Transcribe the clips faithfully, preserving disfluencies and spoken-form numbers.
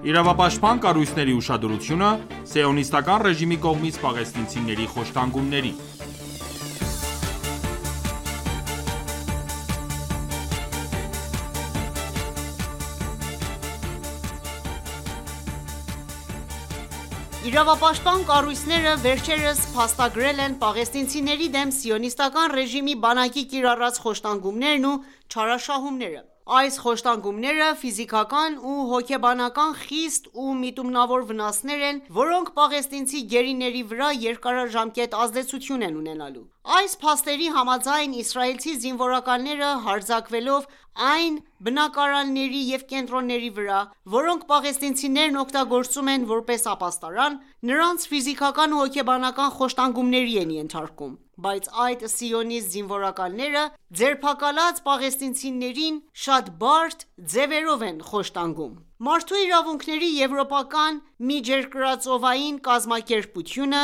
Իրավապաշտպան կառույցների ուշադրությունը սիոնիստական ռեժիմի կողմից պաղեստինցիների խոշտանգումներին։ Իրավապաշտպան կառույցները վերջերս փաստագրել են պաղեստինցիների դեմ սիոնիստական ռեժիմի բանակի կիրառած խոշտանգումներն ու չարաշահումները։ Այս խոշտանգումները ֆիզիկական ու հոգեբանական խիստ ու միտումնավոր վնասներ են, որոնք պաղեստինցի գերիների վրա երկարաժամկետ ազդեցություն են ունենալու։ Այս փաստերի համաձայն, իսրայելցի զինվորականները հարձակվելով այն բնակարանների և կենտրոնների վրա, որոնք պաղեստինցիներն օգտագործում են որպես ապաստարան, նրանց ֆիզիկական ու հոգեբանական խոշտանգումների են ենթարկում, բայց այդ սիոնիստ զինվորականները ձերբակալած պաղեստինցիներին շատ բարդ ձևերով են խոշտանգում։ Մարդու իրավունքների եվրոպական միջերկրածովային կազմակերպությունը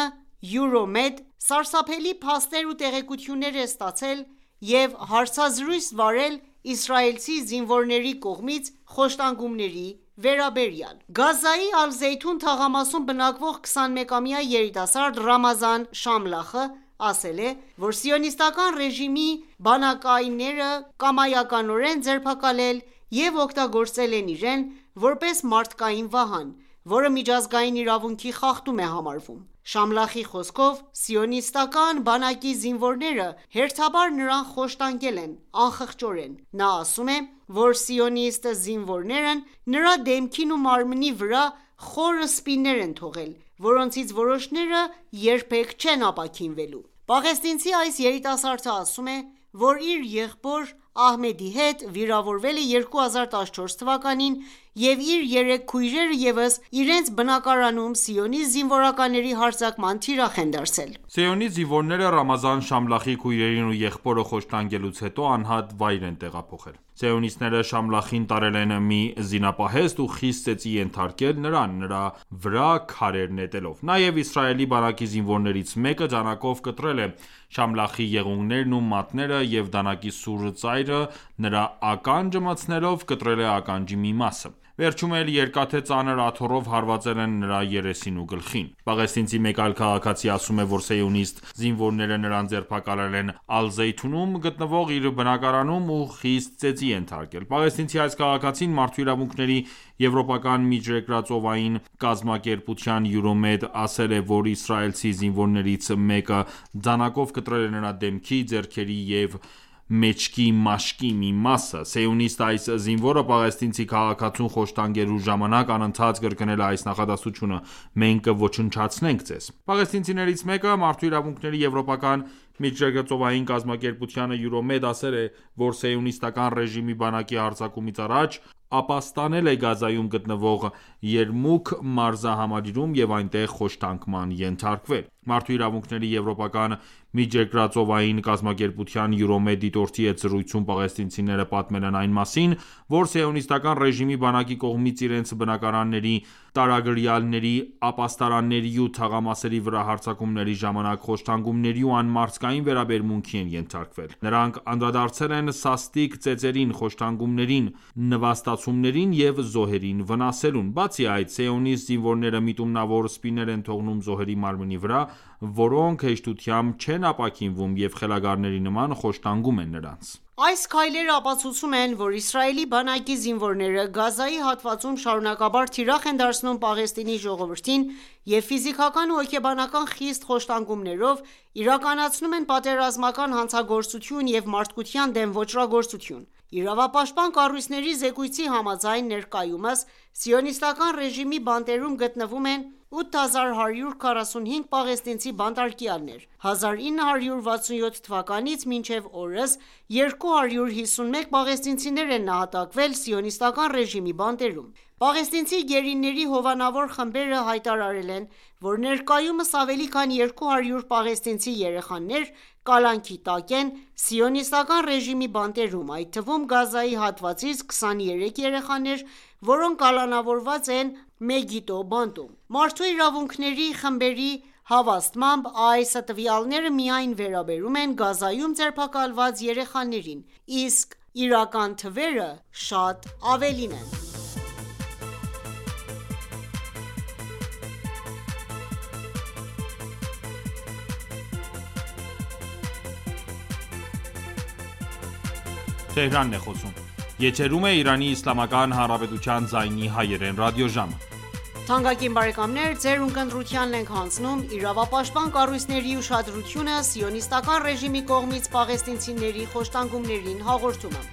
Euro-Med սարսափելի փաստեր ու տեղեկություններ է ստացել և հարցազրույց վարել իսրայելցի զինվորների կողմից խոշտանգումների վերաբերյալ։ Գազայի Ալ-Զեյթուն թաղամասում բնակվող քսանմեկամյա երիտասարդ Ռամազան Շամլախը ասել է, որ սիոնիստական ռեժիմի բանակայինները կամայականորեն ձերբակալել և օգտագործել են իրեն որպես մարդկային վահան, որը միջազգային իրավունքի խախտում է համարվում։ Շամլախի խոսքով, սիոնիստական բանակի զինվորները հերթաբար նրան խոշտանգել են անխղճորեն։ Նա ասում է, որ սիոնիստ զինվորներն նրա դեմքին ու մարմնի վրա խորը սպիներ են թողել, որոնցից որոշները երբեք չեն ապաքինվելու։ Պաղեստինցի այս երիտասարդը ասում է, որ իր եղբոր Ահմեդի հետ վիրավորվել է երկու հազար տասնչորս թվականին և իր երեք քույրերը ևս իրենց բնակարանում սիոնիստ զինվորականների հարձակման թիրախ են դարձել։ Սիոնիստ զինվորները Ռամազան Շամլախի քույրերին ու եղբորը խոշտանգելուց հետո անհատ վայր են տեղափոխել։ Սիոնիստները Շամլախին տարել են մի զինապահեստ ու խիստ ծեծի ենթարկել նրան, նրա վրա քարեր նետելով։ Նաև Իսրայելի բանակի զինվորներից մեկը դանակով կտրել է Շամլախի եղունգներն ու մատները և դանակի սուր ծայրը նրա ականջը մտցնելով կտրել է ականջի մի մասը։ Վերջում էլ երկաթե ծանր աթոռով հարվածել են նրա երեսին ու գլխին։ Պաղեստինցի մեկ այլ քաղաքացի ասում է, որ սիոնիստ զինվորները նրան ձերբակալել են Ալ-Զեյթունում գտնվող իր բնակարանում ու խիստ ծեծի ենթարկել։ Պաղեստինցի այս քաղաքացին մարդու իրավունքների եվրոպական միջերկրածովային կազմակերպության Euro-Med ասել է, որ իսրայելցի զինվորներից մեկը դանակով կտրել է նրա դեմքի, ձեռքերի և մեջքի մաշկի մի մասը։ Սիոնիստ այս զինվորը պաղեստինցի քաղաքացուն խոշտանգելու ժամանակ անընդհատ կրկնել է այս նախադասությունը՝ «Մենք կոչնչացնենք ձեզ»։ Պաղեստինցիներից մեկը մարդու իրավունքների եվրոպական միջերկրածովային կազմակերպությանը Euro-Med ասել է, որ սիոնիստական ռեժիմի բանակի հարձակումից առաջ ապաստանել է Գազայում գտնվող Երմուք մարզահամալիրում և այնտեղ խոշտանգման ենթարկվել։ Մարդու իրավունքների եվրոպական միջերկրածովային կազմակերպության Euro-Med դիտորդի հետ զրույցում պաղեստինցիները պատմել են այն մասին, որ սիոնիստական ռեժիմի բանակի կողմից իրենց բնակարանների, տարագրյալների, ապաստարանների ու թաղամասերի վրա հարձակումների ժամանակ խոշտանգումների ու անմարդկային վերաբերմունքի են ենթարկվել։ Նրանք անդրադարձել են սաստիկ ծեծերին, խոշտանգումներին, նվաստացումներին և զոհերին վնասելուն։ Բացի այդ, սիոնիստ զինվորները միտումնավոր սպիներ են թողնում զոհերի մարմնի վրա, որոնք հեշտությամբ չեն ապաքինվում և խելագարների նման խոշտանգում են նրանց։ Այս քայլերը ապացուցում են, որ Իսրայելի բանակի զինվորները Գազայի հատվածում շարունակաբար թիրախ են դարձնում Պաղեստինի ժողովրդին և ֆիզիկական ու հոգեբանական խիստ խոշտանգումներով իրականացնում են պատերազմական հանցագործություն և մարդկության դեմ ոճրագործություն։ Իրավապաշտպան կառույցների զեկույցի համաձայն, ներկայումս սիոնիստական ռեժիմի բանտերում գտնվում են ութ հազար հարյուր քառասունհինգ պաղեստինցի բանտարկյալներ։ հազար ինը հարյուր վաթսունյոթ թվականից մինչև օրս երկու հարյուր հիսունմեկ պաղեստինցիներ են նահատակվել սիոնիստական ռեժիմի բանտերում։ Պաղեստինցի գերիների հովանավոր խմբերը հայտարարել են, որ ներկայումս ավելի քան երկու հարյուր պաղեստինցի երեխաներ կալանքի տակ են սիոնիստական ռեժիմի բանտերում, այդ թվում Գազայի հատվածից քսաներեք երեխաներ, որոնք կալանավորված են Մեգիդո բանտում։ Մարդու իրավունքների խմբերի հավաստմամբ, այս տվյալները միայն վերաբերում են Գազայում ձերբակալված երեխաներին, իսկ իրական թվերը շատ ավելին են։ Թեհրանն է խոսում։ Եթերում է Իրանի Իսլամական Հանրապետության ձայնի հայերեն ռադիոժամը։ Թանկագին բարեկամներ, ձեր ունկնդրությանն ենք հանձնում իրավապաշտպան կառույցների ուշադրությունը սիոնիստական ռեժիմի կողմից պաղեստինցիների խոշտանգումներին հաղորդումը։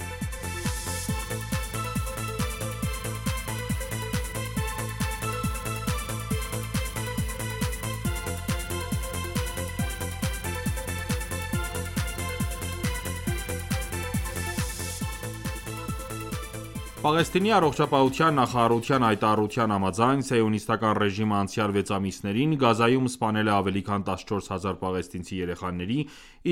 Պաղեստինի առողջապահության նախարարության հայտարարության համաձայն, սիոնիստական ռեժիմը անցյալ վեց ամիսներին Գազայում սպանել է ավելի քան տասնչորս հազար պաղեստինցի երեխաների,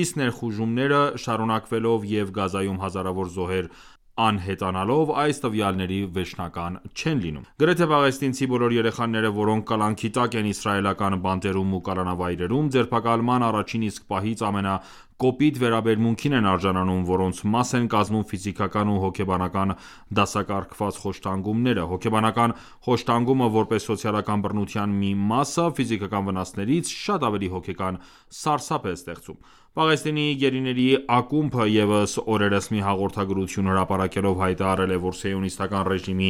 իսկ ներխուժումները շարունակվելով և Գազայում հազարավոր զոհեր անհետանալով, այս տվյալների վերջնական չեն լինում։ Գրեթե պաղեստինցի բոլոր երեխաները, որոնք կալանքի տակ են իսրայելական բանտերում ու կալանավայրերում, ձերբակալման առաջին իսկ պահից ամենակոպիտ վերաբերմունքին են արժանանում, որոնց մաս են կազմում ֆիզիկական ու հոգեբանական դասակարգված խոշտանգումները։ Հոգեբանական խոշտանգումը, որպես սոցիալական բռնության մի մասը, ֆիզիկական վնասներից շատ ավելի հոգեկան սարսափ է ստեղծում։ Պաղեստինի գերիների ակումբը ևս օրերս մի հաղորդագրություն հրապարակելով հայտարարել է, որ սիոնիստական ռեժիմի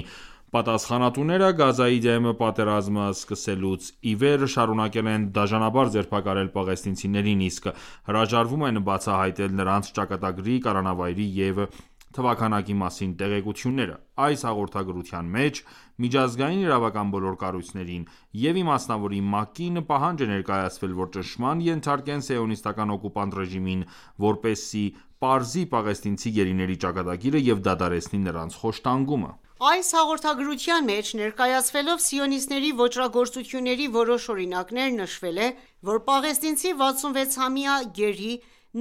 պատասխանատուները Գազայի դեմ պատերազմը սկսելուց ի վեր շարունակել են դաժանաբար ձերբակալել պաղեստինցիներին, իսկ հրաժարվում են բացահայտել նրանց ճակատագրի, կալանավայրի և թվաքանակի մասին տեղեկությունները։ Այս հաղորդագրության մեջ միջազգային իրավական բոլոր կառույցներին և իմասնավորի ՄԱԿ-ին պահանջ է ներկայացվել, որ ճնշման ենթարկեն սիոնիստական օկուպանտ ռեժիմին, որպեսզի պարզի պաղեստինցի գերիների ճակատագիրը և դադարեցնի նրանց խոշտանգումը։ Այս հաղորդագրության մեջ ներկայացվելով սիոնիստների ոճրագործությունների որոշ օրինակներ, նշվել է, որ պաղեստինցի վաթսունվեցամյա գերի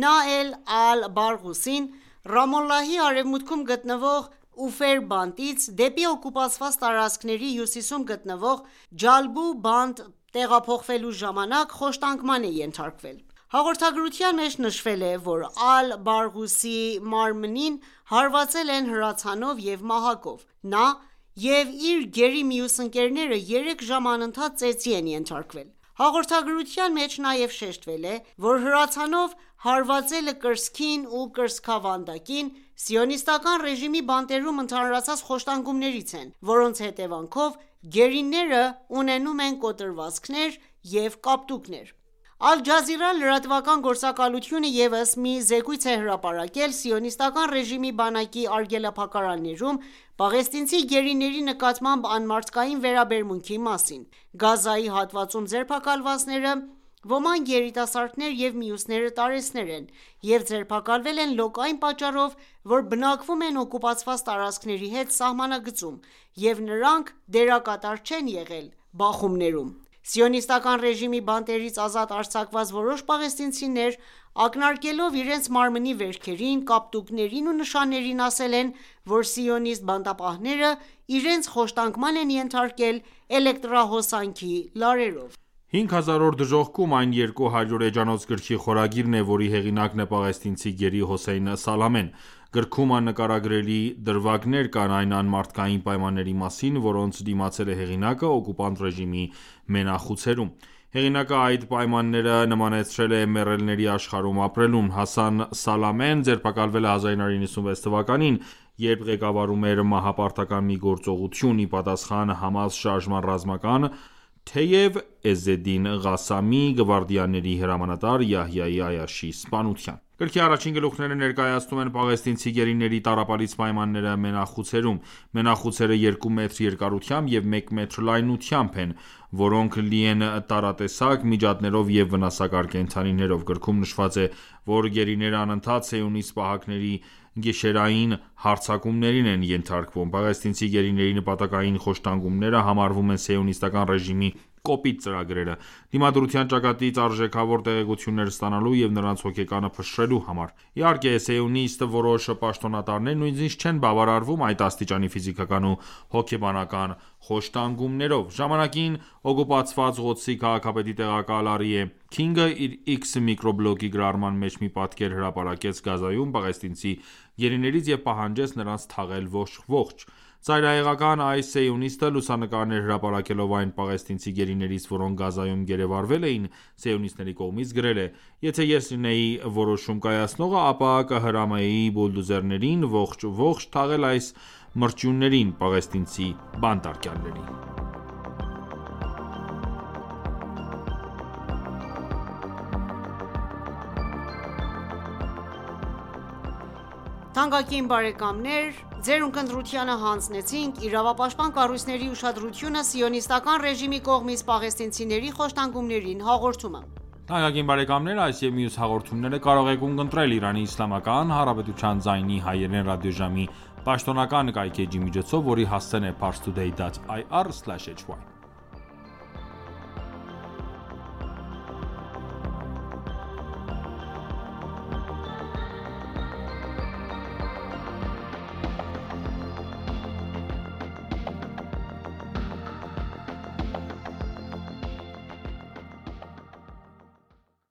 Նաել Ալ-Բարղուսին Ռամալլահի արևմուտքում գտնվող Ուֆեր բանտից դեպի օկուպացված տարածքների հյուսիսում գտնվող Ջալբու բանտ տեղափոխվելու ժամանակ խոշտանգման է ենթարկվել։ Հաղորդագրության մեջ նշվել է, որ Ալ-Բարղուսի մարմնին հարվածել են հրացանով և մահակով։ Նա և իր գերի մյուս ընկերները երեք ժամ անընդհատ ծեծի են ենթարկվել։ Հաղորդագրության մեջ նաև շեշտվել է, որ հրացանով հարվածելը կրծքին ու կրծքավանդակին սիոնիստական ռեժիմի բանտերում ընդհանրացած խոշտանգումներից են, որոնց հետևանքով գերիները ունենում են կոտրվածքներ և կապտուկներ։ Ալ-Ջազիրա լրատվական գործակալությունը ևս մի զեկույց է հրապարակել սիոնիստական ռեժիմի բանակի արգելափակարաններում պաղեստինցի գերիների նկատմամբ անմարդկային վերաբերմունքի մասին։ Գազայի հատվածում ձերբակալվածները ոմանք երիտասարդներ և մյուսները տարեցներ են և ձերբակալվել են լոկային պատճառով, որ բնակվում են օկուպացված տարածքների հետ սահմանագծում և նրանք դերակատար չեն եղել բախումներում։ Սիոնիստական ռեժիմի բանտերից ազատ արձակված որոշ պաղեստինցիներ, ակնարկելով իրենց մարմնի վերքերին, կապտուկներին ու նշաններին, ասել են, որ սիոնիստ բանտապահները իրենց խոշտանգման են ենթարկել էլեկտրահոսանքի լարերով։ Հինգ հազար օր դժոխքում այն երկու հարյուր էջանոց գրքի խորագիրն է, որի հեղինակն է պաղեստինցի գերի Հոսեյն Սալամեն։ Գրքում աննկարագրելի դրվագներ կան այն անմարդկային պայմանների մասին, որոնց դիմացել է հեղինակը օկուպանտ ռեժիմի մենախուցերում։ Հեղինակը այդ պայմանները նմանեցրել է մեռելների աշխարհում ապրելուն։ Հասան Սալամեն ձերբակալվել է հազար նոց նվաթ թվականին, երբ ղեկավարում էր մահապարտական մի գործողություն՝ ի պատասխան Համաս շարժման ռազմական, թեև Էզզեդին Ղասամի գվարդիաների հրամանատար Յահյայի Այաշի սպանության։ Գրքի առաջին գլուխները ներկայացնում են պաղեստինցի գերիների տառապալից պայմանները մենախուցերում։ Մենախուցերը երկու մետր երկարությամբ և մեկ մետր լայնությամբ են, որոնք լի են տարատեսակ միջատներով և վնասակար կենդանիներով։ Գրքում նշված է, որ գերիները անընդհատ սիոնիստ պահակների գիշերային հարձակումներին են ենթարկվում։ Պաղեստինցի գերիների նպատակային խոշտանգումները համարվում են սիոնիստական ռեժիմի կոպիտ ծրագրերը՝ դիմադրության ճակատից արժեքավոր տեղեկություններ ստանալու և նրանց հոգեկանը փշրելու համար։ Իհարկե, սիոնիստ որոշ պաշտոնատարներ նույնիսկ չեն բավարարվում այդ աստիճանի ֆիզիկական ու հոգեբանական խոշտանգումներով։ Ժամանակին օկուպացված Ղոդսի քաղաքապետի տեղակալ Արիե Քինգը իր X միկրոբլոգի գրառման մեջ մի պատկեր հրապարակեց Գազայում պաղեստինցի գերիներից և պահանջեց նրանց թաղել ողջ։ Ծայրահեղական այս սիոնիստը լուսանկարներ հրապարակելով այն պաղեստինցի գերիներից, որոնք Գազայում գերեվարվել էին, սիոնիստների կողմից գրել է. «Եթե ես լինեի որոշում կայացնողը, ապա կհրամայեի բուլդոզերներին ողջ-ողջ թաղել այս մրջյուններին, պաղեստինցի բանտարկյալներին»։ Թանկագին բարեկամներ, ձեր ունկնդրությանը հանձնեցինք իրավապաշտպան կառույցների ուշադրությունը սիոնիստական ռեժիմի կողմից պաղեստինցիների խոշտանգումներին հաղորդումը։ Թանկագին բարեկամներ, այս եւ մյուս հաղորդումները կարող եք ունկնդրել Իրանի Իսլամական Հանրապետության ձայնի հայերեն ռադիոժամի պաշտոնական կայքէջի միջոցով, որի հասցեն է parstoday dot ir slash hy